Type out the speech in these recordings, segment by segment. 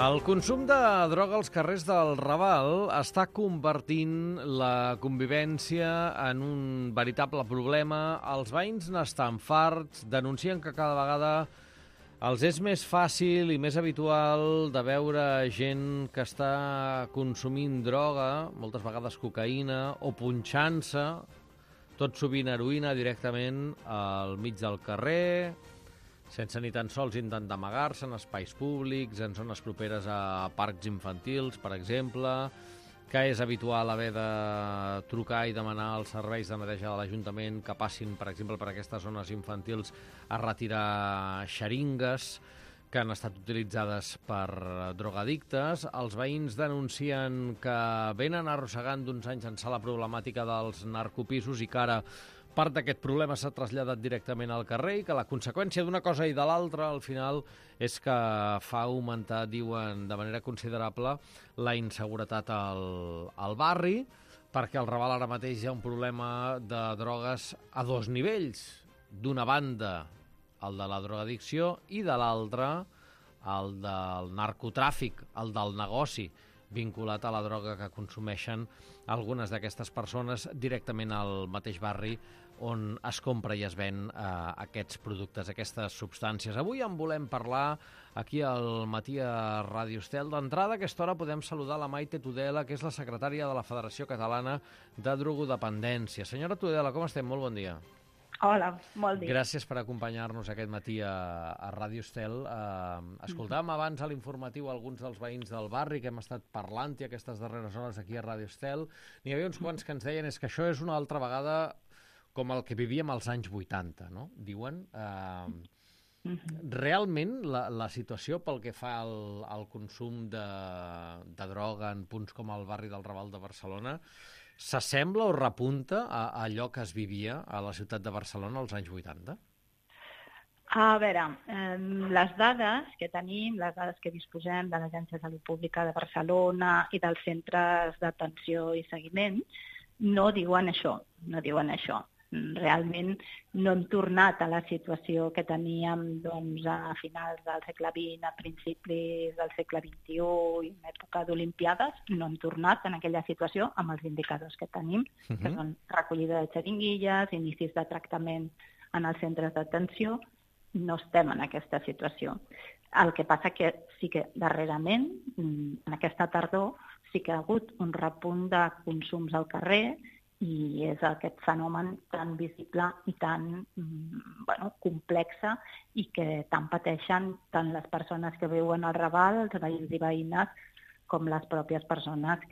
El consum de droga als carrers del Raval està convertint la convivència en un veritable problema. Els veïns n'estan farts, denuncien que cada vegada els és més fàcil i més habitual de veure gent que està consumint droga, moltes vegades cocaïna, o punxant-se, tot sovint heroïna, directament al mig del carrer, sense ni tan sols intentar amagar-se en espais públics, en zones properes a parcs infantils, per exemple, que és habitual haver de trucar i demanar als serveis de neteja de l'Ajuntament que passin, per exemple, per aquestes zones infantils a retirar xeringues que han estat utilitzades per drogadictes. Els veïns denuncien que venen arrossegant d'uns anys ençà la problemàtica dels narcopisos i que ara part d'aquest problema s'ha traslladat directament al carrer i que la conseqüència d'una cosa i de l'altra, al final, és que fa augmentar, diuen, de manera considerable la inseguretat al barri, perquè al Raval ara mateix hi ha un problema de drogues a dos nivells. D'una banda, el de la drogadicció, i de l'altra, el del narcotràfic, el del negoci, vinculat a la droga que consumeixen algunes d'aquestes persones directament al mateix barri on es compra i es ven aquests productes, aquestes substàncies. Avui en volem parlar aquí al Matí a Ràdio Estel. D'entrada, a aquesta hora podem saludar la Maite Tudela, que és la secretària de la Federació Catalana de Drogodependència. Senyora Tudela, com estem? Molt bon dia. Hola, molt dia. Gràcies per acompanyar-nos aquest matí a Ràdio Estel. Escoltàvem abans a l'informatiu alguns dels veïns del barri que hem estat parlant-hi aquestes darreres hores aquí a Ràdio Estel. N'hi havia uns quants que ens deien és que això és una altra vegada com el que vivíem als anys 80, no? Diuen. Realment la situació pel que fa al consum de droga en punts com el barri del Raval de Barcelona s'assembla o repunta a allò que es vivia a la ciutat de Barcelona als anys 80? A veure, les dades que tenim, les dades que disposem de l'Agència de Salut Pública de Barcelona i dels centres d'atenció i seguiment, no diuen això, Realment no hem tornat a la situació que teníem a finals del segle XX, a principis del segle XXI i en època d'Olimpiades. No hem tornat en aquella situació amb els indicadors que tenim, que són recollida de xeringuilles, inicis de tractament en els centres d'atenció. No estem en aquesta situació. El que passa que sí que darrerament, en aquesta tardor, sí que ha hagut un repunt de consums al carrer i és aquest fenomen tan visible i tan complexe i que tant pateixen tant les persones que viuen al Raval, els veïns i veïnes, com les pròpies persones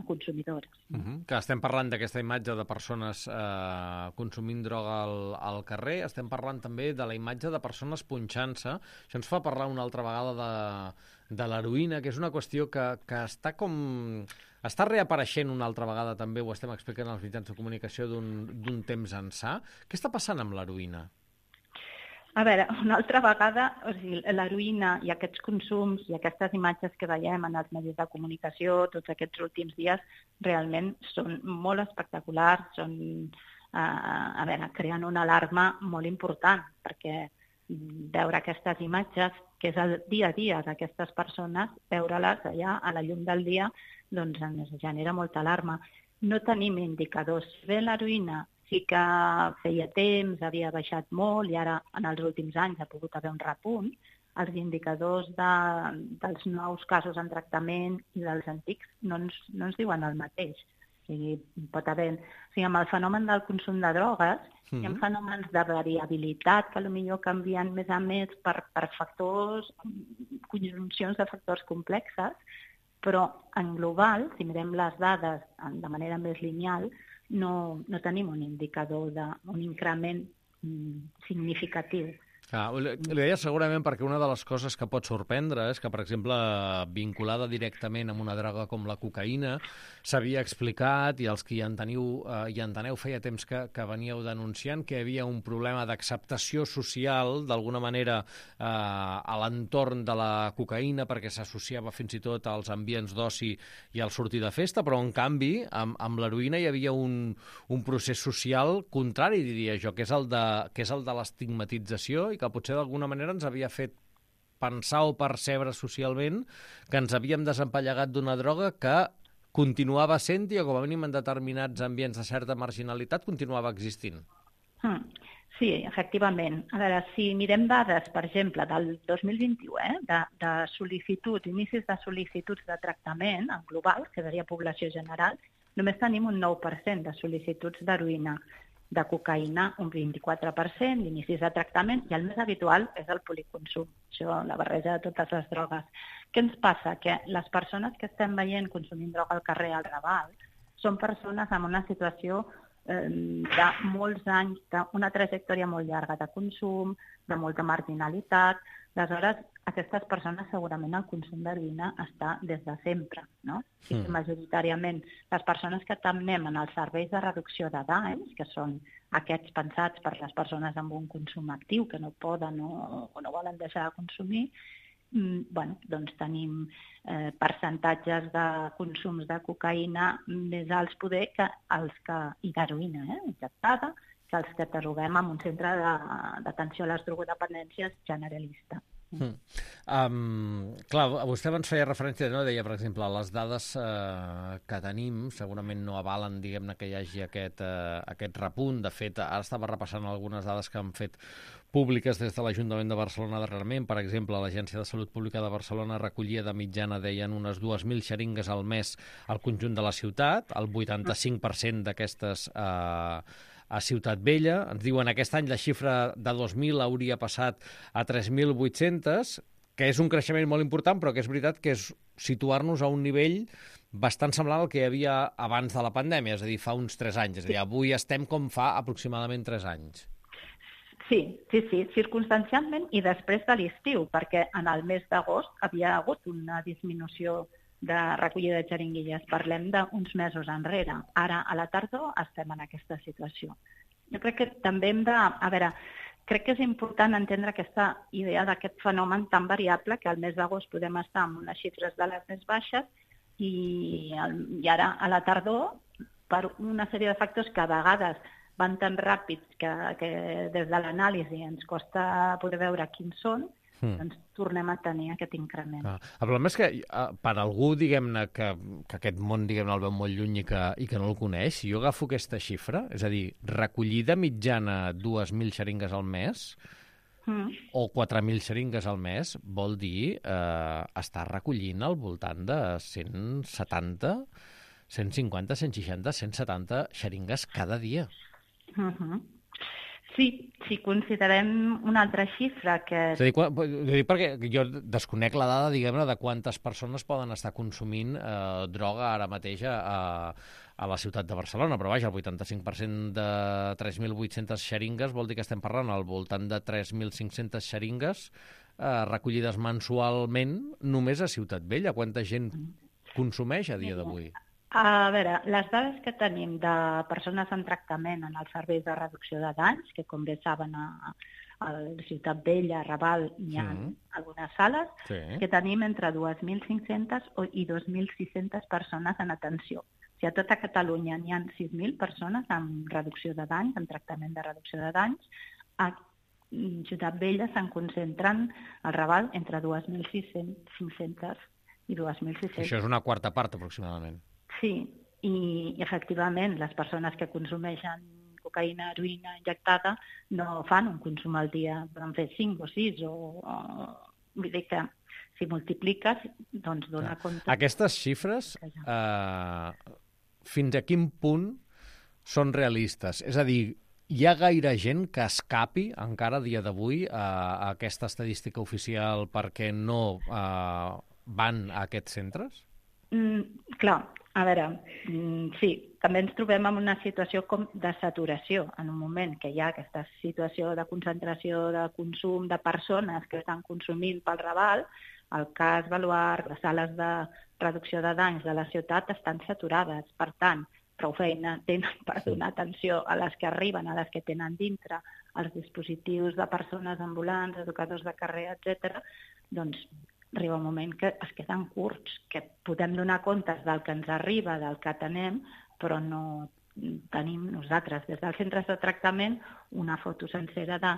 consumidores. Que estem parlant d'aquesta imatge de persones consumint droga al carrer, estem parlant també de la imatge de persones punxant-se. Això ens fa parlar una altra vegada de l'heroïna, que és una qüestió que està reapareixent una altra vegada també, ho estem explicant als mitjans de comunicació d'un temps ençà. Què està passant amb l'heroïna? A veure, una altra vegada, l'heroïna i aquests consums i aquestes imatges que veiem en els medis de comunicació tots aquests últims dies realment són molt espectaculars, creen una alarma molt important, perquè veure aquestes imatges, que és el dia a dia d'aquestes persones, veure-les allà a la llum del dia, doncs ens genera molta alarma. No tenim indicadors. Bé, l'heroïna sí que feia temps, havia baixat molt i ara en els últims anys ha pogut haver un repunt. Els indicadors dels nous casos en tractament i dels antics no ens diuen el mateix. O sigui, pot haver... amb el fenomen del consum de drogues hi ha fenòmens de variabilitat que potser canvien més a més per factors, conjuncions de factors complexes, però en global, si mirem les dades de manera més lineal, no tenim un indicador d'un increment significatiu. Li deia segurament perquè una de les coses que pot sorprendre és que, per exemple, vinculada directament amb una droga com la cocaïna, s'havia explicat, i els que hi enteneu feia temps que veníeu denunciant, que hi havia un problema d'acceptació social, d'alguna manera, a l'entorn de la cocaïna, perquè s'associava fins i tot als ambients d'oci i al sortir de festa, però, en canvi, amb l'heroïna hi havia un procés social contrari, diria jo, que és el de l'estigmatització i que potser d'alguna manera ens havia fet pensar o percebre socialment que ens havíem desempallegat d'una droga que continuava sent-hi, o com a mínim en determinats ambients de certa marginalitat, continuava existint. Sí, efectivament. A veure, si mirem dades, per exemple, del 2021, de sol·licituds, inicis de sol·licituds de tractament en global, que seria població general, només tenim un 9% de sol·licituds d'heroïna, de cocaïna un 24%, d'inicis de tractament, i el més habitual és el policonsum, això, la barreja de totes les drogues. Què ens passa? Que les persones que estem veient consumint droga al carrer, al Raval, són persones amb una situació de molts anys, d'una trajectòria molt llarga de consum, de molta marginalitat. Aleshores, aquestes persones segurament el consum d'heroïna està des de sempre, no? I majoritàriament les persones que atenem en els serveis de reducció de danys, que són aquests pensats per les persones amb un consum actiu que no poden o no volen deixar de consumir, doncs tenim percentatges de consums de cocaïna més alts poder que els que, i d'heroïna injectada, que els que trobem en un centre d'atenció a les drogodependències generalista. Clar, vostè abans feia referència, no? Deia, per exemple, les dades que tenim segurament no avalen, diguem-ne, que hi hagi aquest repunt. De fet, ara estava repassant algunes dades que han fet públiques des de l'Ajuntament de Barcelona darrerament. Per exemple, l'Agència de Salut Pública de Barcelona recollia de mitjana, deien, unes 2.000 xeringues al mes al conjunt de la ciutat, el 85% d'aquestes a Ciutat Vella. Ens diuen aquest any la xifra de 2.000 hauria passat a 3.800, que és un creixement molt important, però que és veritat que és situar-nos a un nivell bastant semblant al que hi havia abans de la pandèmia, és a dir, fa uns 3 anys. És a dir, avui estem com fa aproximadament 3 anys. Sí, circumstancialment i després de l'estiu, perquè en el mes d'agost havia hagut una disminució de recollida de xeringuilles. Parlem d'uns mesos enrere. Ara, a la tardor, estem en aquesta situació. Jo crec que també hem de... A veure, crec que és important entendre aquesta idea d'aquest fenomen tan variable que al mes d'agost podem estar amb unes xifres de les més baixes i ara, a la tardor, per una sèrie de factors que a vegades van tan ràpids que des de l'anàlisi ens costa poder veure quins són, doncs tornem a tenir aquest increment. El problema és que per algú, diguem-ne, que aquest món, diguem-ne, el veu molt lluny i que no el coneix, si jo agafo aquesta xifra, és a dir, recollida mitjana 2.000 xeringues al mes o 4.000 xeringues al mes, vol dir estar recollint al voltant de 170, 150, 160, 170 xeringues cada dia. Sí, si considerem una altra xifra que... És a dir, perquè jo desconec la dada, diguem-ne, de quantes persones poden estar consumint droga ara mateix a la ciutat de Barcelona, però vaja, el 85% de 3.800 xeringues vol dir que estem parlant al voltant de 3.500 xeringues recollides mensualment només a Ciutat Vella. Quanta gent consumeix a dia d'avui? A veure, les dades que tenim de persones en tractament en els serveis de reducció de danys, que com bé saben a Ciutat Vella, a Raval, hi ha algunes sales, que tenim entre 2.500 i 2.600 persones en atenció. O sigui, a tota Catalunya n'hi ha 6.000 persones amb reducció de danys, amb tractament de reducció de danys. A Ciutat Vella se'n concentren al Raval entre 2.500 i 2.600. Això és una quarta part, aproximadament. Sí, i efectivament les persones que consumeixen cocaïna, heroïna injectada no fan un consum al dia, poden fer 5 o 6 vull dir que si multipliques doncs dona compte. Aquestes xifres fins a quin punt són realistes? És a dir, hi ha gaire gent que escapi encara a dia d'avui a aquesta estadística oficial perquè no van a aquests centres? Clar, a veure, sí, també ens trobem en una situació com de saturació. En un moment que hi ha aquesta situació de concentració de consum de persones que estan consumint pel Raval, el cas Baluard, les sales de reducció de danys de la ciutat estan saturades. Per tant, prou feina tenen per donar atenció a les que arriben, a les que tenen dintre els dispositius de persones ambulants, educadors de carrer, etc. Doncs arriba un moment que es queden curts, que podem donar comptes del que ens arriba, del que atenem, però no tenim nosaltres des dels centres de tractament una foto sencera de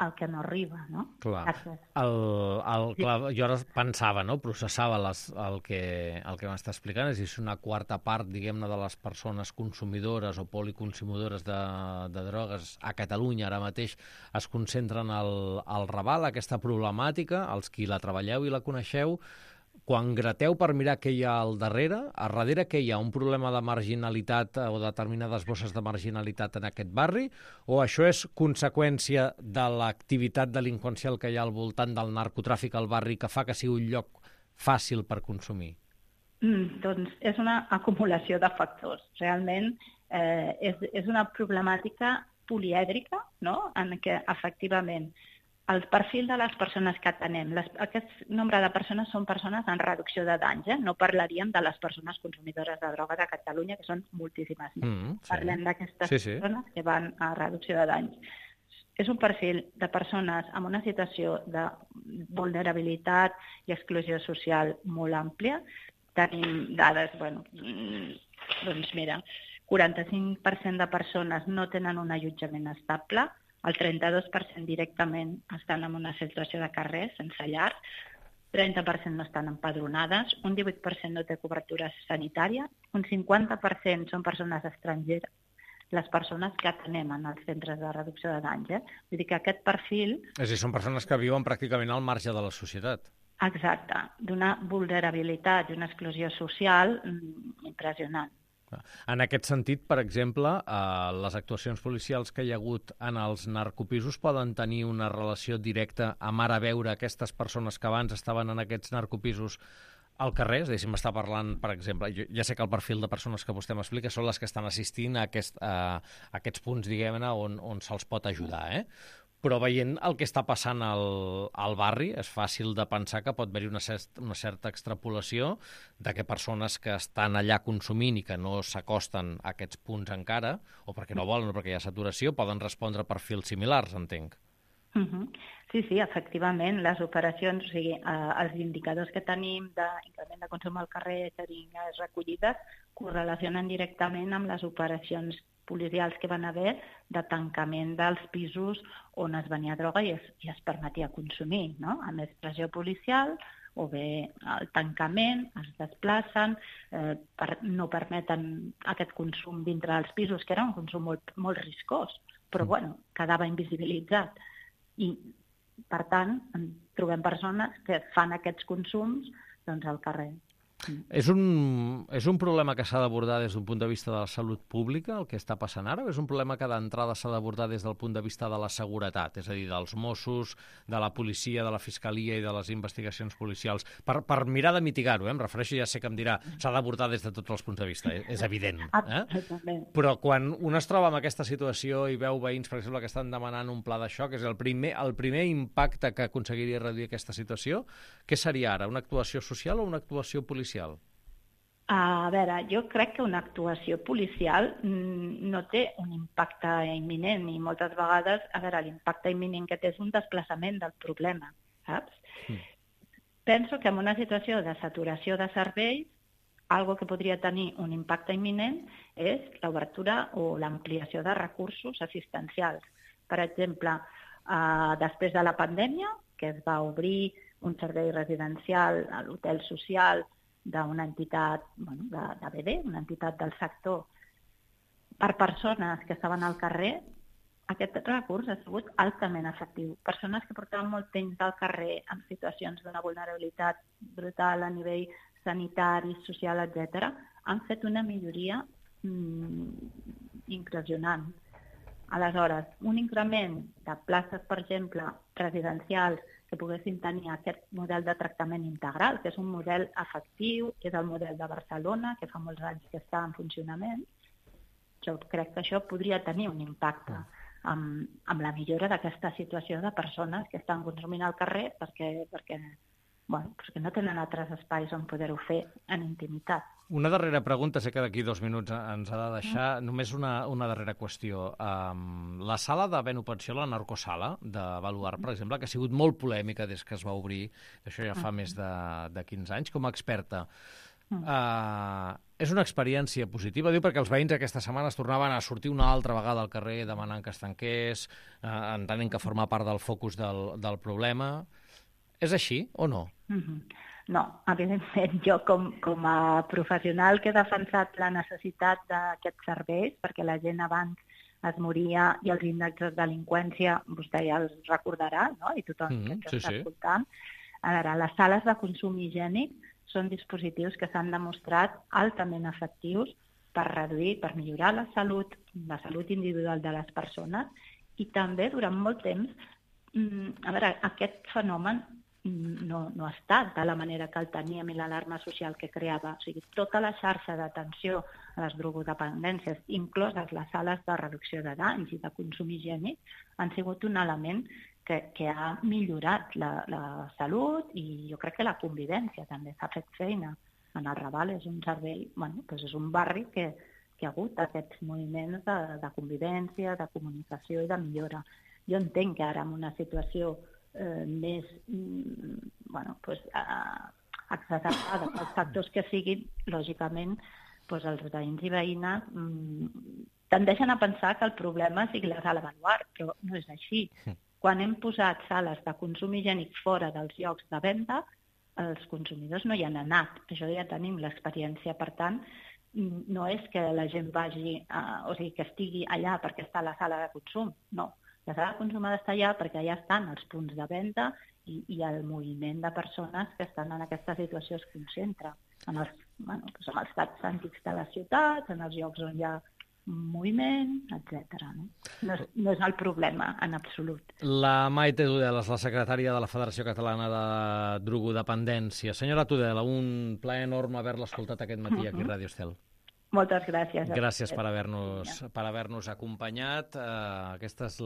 el que no arriba, no? Clar. Clar, jo ara pensava, no? Processava el que m'està explicant, és a dir, si una quarta part, diguem-ne, de les persones consumidores o policonsumidores de drogues a Catalunya ara mateix es concentren al Raval, aquesta problemàtica, els qui la treballeu i la coneixeu, quan grateu per mirar què hi ha al darrere què hi ha? Un problema de marginalitat o determinades bosses de marginalitat en aquest barri? O això és conseqüència de l'activitat delinqüencial que hi ha al voltant del narcotràfic al barri que fa que sigui un lloc fàcil per consumir? Doncs és una acumulació de factors. Realment és una problemàtica polièdrica, no? En què efectivament el perfil de les persones que atenem, aquest nombre de persones són persones en reducció de danys, no parlaríem de les persones consumidores de drogues a Catalunya, que són moltíssimes més. Parlem d'aquestes persones que van a reducció de danys. És un perfil de persones amb una situació de vulnerabilitat i exclusió social molt àmplia. Tenim dades, doncs mira, 45% de persones no tenen un allotjament estable, el 32% directament estan en una situació de carrer, sense llar, 30% no estan empadronades, un 18% no té cobertura sanitària, un 50% són persones estrangeres, les persones que atenem en els centres de reducció de danys. Vull dir que aquest perfil... És a dir, són persones que viuen pràcticament al marge de la societat. Exacte, d'una vulnerabilitat i una exclusió social impressionant. En aquest sentit, per exemple, les actuacions policials que hi ha hagut en els narcopisos poden tenir una relació directa amb ara veure aquestes persones que abans estaven en aquests narcopisos al carrer? És a dir, si m'està parlant, per exemple, ja sé que el perfil de persones que vostè m'explica són les que estan assistint a aquests punts, diguem-ne, on se'ls pot ajudar, Però veient el que està passant al barri, és fàcil de pensar que pot haver-hi una certa extrapolació de que persones que estan allà consumint i que no s'acosten a aquests punts encara, o perquè no volen o perquè hi ha saturació, poden respondre a perfils similars, entenc. Sí, efectivament, les operacions, o sigui, els indicadors que tenim d'increment de consum al carrer, xeringues recollides, correlacionen directament amb les operacions policials que van haver de tancament dels pisos on es venia droga i es permetia consumir, no? A més pressió policial o bé el tancament, es desplacen, no permeten aquest consum dintre dels pisos, que era un consum molt riscós, però quedava invisibilitzat. I, per tant, trobem persones que fan aquests consums al carrer. És un problema que s'ha d'abordar des d'un punt de vista de la salut pública, el que està passant ara, o és un problema que d'entrada s'ha d'abordar des del punt de vista de la seguretat, és a dir, dels Mossos, de la policia, de la fiscalia i de les investigacions policials, per mirar de mitigar-ho, em refereixo, ja sé que em dirà, s'ha d'abordar des de tots els punts de vista, és evident. Però quan un es troba en aquesta situació i veu veïns, per exemple, que estan demanant un pla de xoc, és el primer impacte que aconseguiria reduir aquesta situació, què seria ara, una actuació social o una actuació policial? A veure, jo crec que una actuació policial no té un impacte imminent i moltes vegades, l'impacte imminent que té és un desplaçament del problema, saps? Penso que en una situació de saturació de serveis, algo que podria tenir un impacte imminent és l'obertura o l'ampliació de recursos assistencials. Per exemple, després de la pandèmia, que es va obrir un servei residencial a l'hotel social d'una entitat de BD, una entitat del sector, per persones que estaven al carrer, aquest recurs ha sigut altament efectiu. Persones que portaven molt temps al carrer en situacions d'una vulnerabilitat brutal a nivell sanitari, social, etc., han fet una milloria impressionant. Aleshores, un increment de places, per exemple, residencials, que poguessin tenir aquest model de tractament integral, que és un model efectiu, que és el model de Barcelona, que fa molts anys que està en funcionament. Jo crec que això podria tenir un impacte amb la millora d'aquesta situació de persones que estan consumint al carrer perquè no tenen altres espais on poder-ho fer en intimitat. Una darrera pregunta, sé que d'aquí 2 minuts ens ha de deixar. Només una darrera qüestió. La sala de Ben Pensió, la narcosala de Baluard, per exemple, que ha sigut molt polèmica des que es va obrir, això ja fa més de 15 anys, com a experta. És una experiència positiva, diu, perquè els veïns aquesta setmana es tornaven a sortir una altra vegada al carrer demanant que es tanqués, entenent que forma part del focus del problema. És així o no? No, evidentment, jo com a professional que he defensat la necessitat d'aquests serveis, perquè la gent abans es moria i els índexs de delinqüència, vostè ja els recordarà, no? I tothom que està escoltant. A veure, les sales de consum higiènic són dispositius que s'han demostrat altament efectius per reduir, per millorar la salut individual de les persones i també durant molt temps, a veure, aquest fenomen no ha estat de la manera que el teníem i l'alarma social que creava. O sigui, tota la xarxa d'atenció a les drogodependències, incloses les sales de reducció de danys i de consum higiènic, han sigut un element que ha millorat la salut i jo crec que la convivència també s'ha fet feina. En el Raval és un servei, és un barri que ha hagut aquests moviments de convivència, de comunicació i de millora. Jo entenc que ara en una situació més exacerbada pels factors que siguin, lògicament, els veïns i veïnes tendeixen a pensar que el problema sigui la sala Baluard, però no és així. Quan hem posat sales de consum higiènic fora dels llocs de venda, els consumidors no hi han anat. Això ja tenim l'experiència. Per tant, no és que la gent vagi, que estigui allà perquè està a la sala de consum, no. La sala de consum ha d'estar allà perquè allà estan els punts de venda i el moviment de persones que estan en aquesta situació es concentra. En els parcs antics de les ciutats, en els llocs on hi ha moviment, etc. No és el problema, en absolut. La Maite Tudela és la secretària de la Federació Catalana de Drogodependència. Senyora Tudela, un plaer enorme haver-la escoltat aquest matí aquí a Ràdio Estel. Moltes gràcies. Gràcies per haver-nos acompanyat. Aquesta és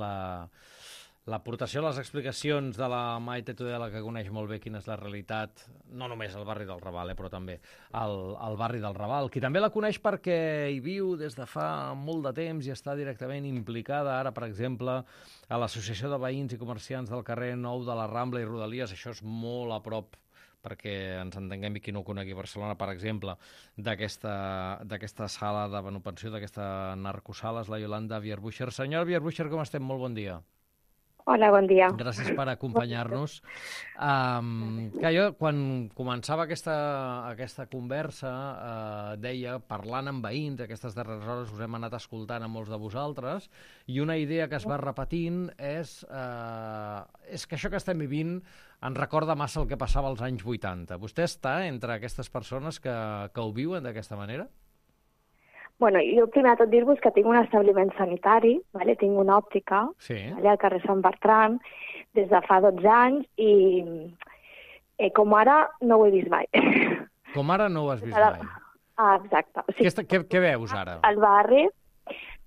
l'aportació, les explicacions de la Maite Tudela, que coneix molt bé quina és la realitat, no només al barri del Raval, però també al barri del Raval, qui també la coneix perquè hi viu des de fa molt de temps i està directament implicada ara, per exemple, a l'Associació de Veïns i Comerciants del carrer Nou de la Rambla i Rodalies. Això és molt a prop, perquè ens entenguem, i qui no ho conegui Barcelona, per exemple, d'aquesta sala de manupensió, d'aquesta narcosala, és la Yolanda Vierbucher. Senyora Vierbucher, com estem? Molt bon dia. Hola, bon dia. Gràcies per acompanyar-nos. Jo, quan començava aquesta conversa, deia, parlant amb veïns, aquestes darreres hores us hem anat escoltant a molts de vosaltres, i una idea que es va repetint és que això que estem vivint ens recorda massa el que passava als anys 80. Vostè està entre aquestes persones que ho viuen d'aquesta manera? Bueno, jo primer de tot dir-vos que tinc un establiment sanitari, vale? Tinc una òptica, sí, al carrer Sant Bertran, des de fa 12 anys, i com ara no ho he vist mai. Com ara no ho has vist mai? Exacte. O sigui, què veus ara? Al barri,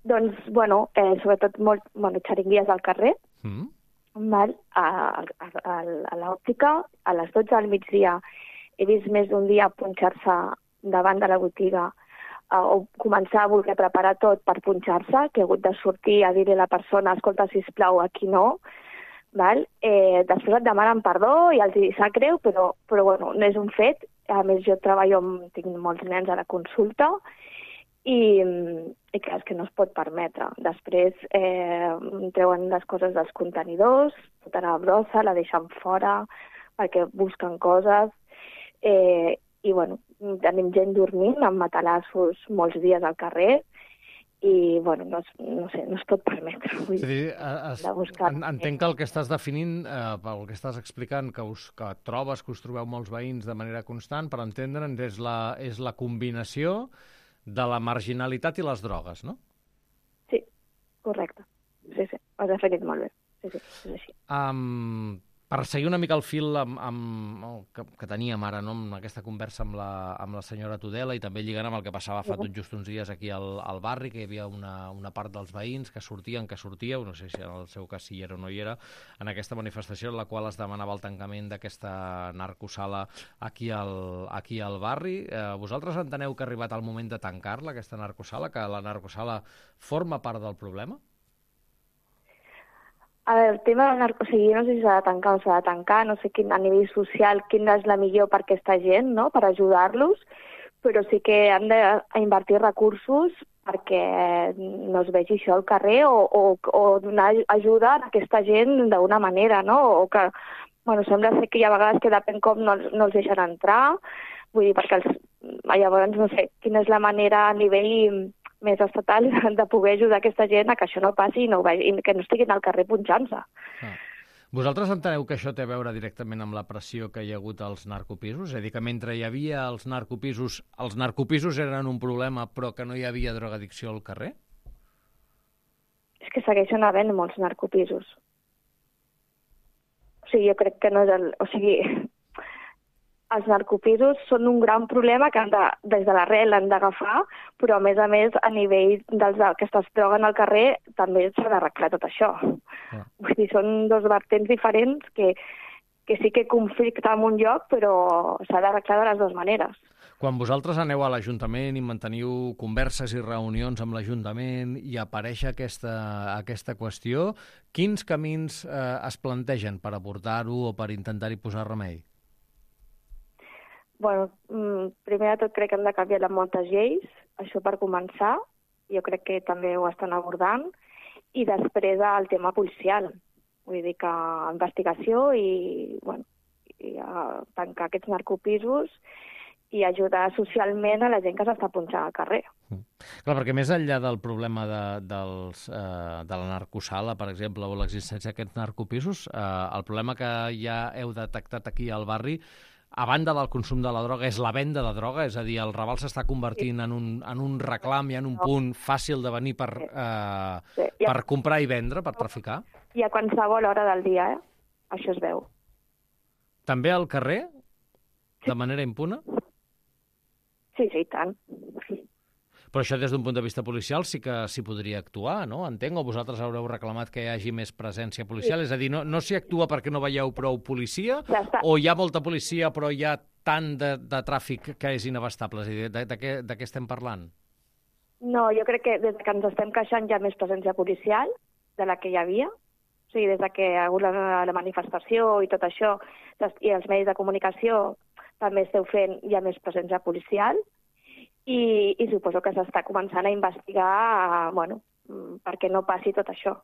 doncs, sobretot xeringuies al carrer, val? A l'òptica, a les 12 del migdia he vist més d'un dia punxar-se davant de la botiga o començar a voler preparar tot per punxar-se, que he hagut de sortir a dir-li a la persona, escolta, sisplau, aquí no. Val? Després et demanen perdó i els sap greu, però no és un fet. A més, jo tinc molts nens a la consulta i clar, és que no es pot permetre. Després treuen les coses dels contenidors, tota la brossa, la deixen fora perquè busquen coses. I tenim gent dormint amb matalassos molts dies al carrer i no es pot permetre. Entenc que el que estàs definint, pel que estàs explicant, que trobes que us trobeu molts veïns de manera constant, per entendre'ns, és la combinació de la marginalitat i les drogues, no? Sí, correcte. Sí, ho has definit molt bé. Sí, és així. Per seguir una mica el fil que teníem ara, no? Amb aquesta conversa amb la senyora Tudela, i també lligant amb el que passava fa tot just uns dies aquí al barri, que hi havia una part dels veïns que sortíeu, no sé si en el seu cas si hi era o no hi era, en aquesta manifestació en la qual es demanava el tancament d'aquesta narcosala aquí al barri. Vosaltres enteneu que ha arribat el moment de tancar-la, aquesta narcosala, que la narcosala forma part del problema? A veure, el tema del no sé si s'ha de tancar o s'ha de tancar, no sé a nivell social quina és la millor per aquesta gent, no?, per ajudar-los, però sí que han d'invertir recursos perquè no es vegi això al carrer o donar ajuda a aquesta gent d'una manera, no? O que, sembla ser que hi ha vegades que depèn com no els deixen entrar, vull dir, perquè llavors no sé quina és la manera a nivell més estatal de poder ajudar aquesta gent a que això no passi i que no estiguin al carrer punxant-se. Vosaltres enteneu que això té a veure directament amb la pressió que hi ha hagut als narcopisos? És a dir, que mentre hi havia els narcopisos eren un problema, però que no hi havia drogadicció al carrer? És que segueixen havent molts narcopisos. O sigui, jo crec que no és els narcopisos són un gran problema que des de l'arrel han d'agafar, però a més, a nivell dels que es droguen al carrer, també s'ha d'arreglar tot això. Vull dir, són dos vertents diferents que sí que conflicten en un lloc, però s'ha d'arreglar de les dues maneres. Quan vosaltres aneu a l'Ajuntament i manteniu converses i reunions amb l'Ajuntament i apareix aquesta qüestió, quins camins es plantegen per abordar-ho o per intentar-hi posar remei? Primer de tot crec que hem de canviar moltes lleis, això per començar, jo crec que també ho estan abordant, i després el tema policial, vull dir que investigació i tancar aquests narcopisos i ajudar socialment a la gent que s'està punxant al carrer. Clar, perquè més enllà del problema de la narcosala, per exemple, o l'existència d'aquests narcopisos, el problema que ja heu detectat aquí al barri, a banda del consum de la droga, és la venda de droga, és a dir, el Raval s'està convertint en un reclam i en un punt fàcil de venir per comprar i vendre, per traficar? I a qualsevol hora del dia, això es veu. També al carrer? De manera impune? Sí, i tant. Però això des d'un punt de vista policial sí que s'hi podria actuar, no? Entenc, o vosaltres haureu reclamat que hi hagi més presència policial? Sí. És a dir, no s'hi actua perquè no veieu prou policia? Ja o hi ha molta policia però hi ha tant de tràfic que és inabastable? És a dir, de què estem parlant? No, jo crec que des que ens estem queixant hi ha més presència policial de la que hi havia. O sigui, des que hi ha hagut la manifestació i tot això, i els medis de comunicació també esteu fent, hi ha més presència policial. I suposo que s'està començant a investigar perquè no passi tot això.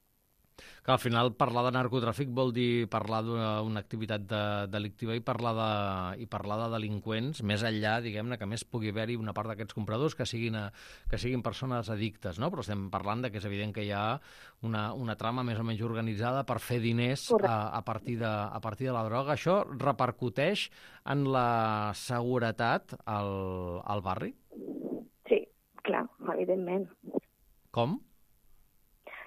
Que al final parlar de narcotràfic vol dir parlar d'una activitat delictiva i parlar de delinqüents, més enllà, diguem-ne, que més pugui haver-hi una part d'aquests compradors que siguin persones addictes, no? Però estem parlant que és evident que hi ha una trama més o menys organitzada per fer diners a partir de la droga. Això repercuteix en la seguretat al barri? Sí, clar, evidentment. Com?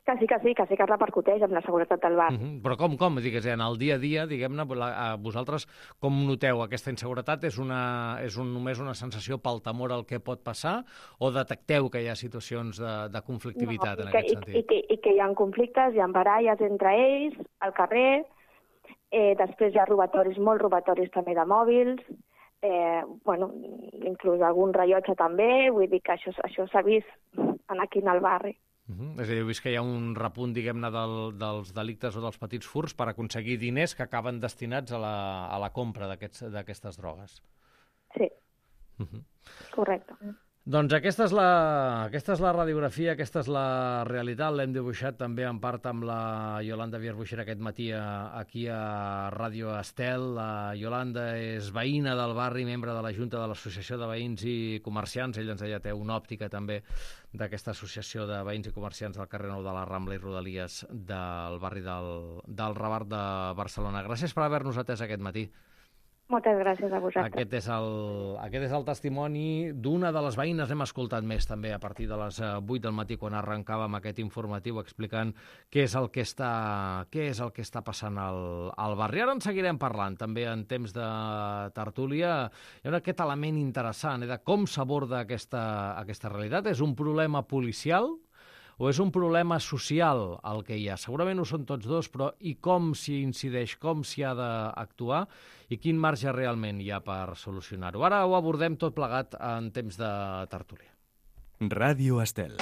Que sí que repercuteix en la seguretat del bar. Però com? Digues, en el dia a dia, diguem-ne, vosaltres com noteu aquesta inseguretat? És només una sensació pel temor al que pot passar o detecteu que hi ha situacions de conflictivitat en aquest sentit? I que hi ha conflictes, hi ha baralles entre ells, al carrer, després hi ha molts robatoris també de mòbils, inclús algun rellotge també, vull dir que això s'ha vist aquí en el barri. És a dir, heu vist que hi ha un repunt, diguem-ne, dels delictes o dels petits furts per aconseguir diners que acaben destinats a la compra d'aquestes drogues. Sí, correcte. Doncs aquesta és la radiografia, aquesta és la realitat. L'hem dibuixat també en part amb la Yolanda Vierbuixera aquest matí aquí a Ràdio Estel. La Yolanda és veïna del barri, membre de la Junta de l'Associació de Veïns i Comerciants. Ella ens deia té una òptica també d'aquesta associació de veïns i comerciants del carrer Nou de la Rambla i Rodalies del barri del Raval de Barcelona. Gràcies per haver-nos atès aquest matí. Moltes gràcies a vosaltres. Aquest és el testimoni d'una de les veïnes. Hem escoltat més també a partir de les 8 del matí quan arrencàvem aquest informatiu explicant què és el que està passant al barri. Ara en seguirem parlant també en temps de tertúlia. Hi ha aquest element interessant de com s'aborda aquesta realitat. És un problema policial o és un problema social el que hi ha? Segurament ho són tots dos, però i com s'hi incideix, com s'hi ha d'actuar i quin marge realment hi ha per solucionar-ho? Ara ho abordem tot plegat en temps de tertúlia. Ràdio Estel.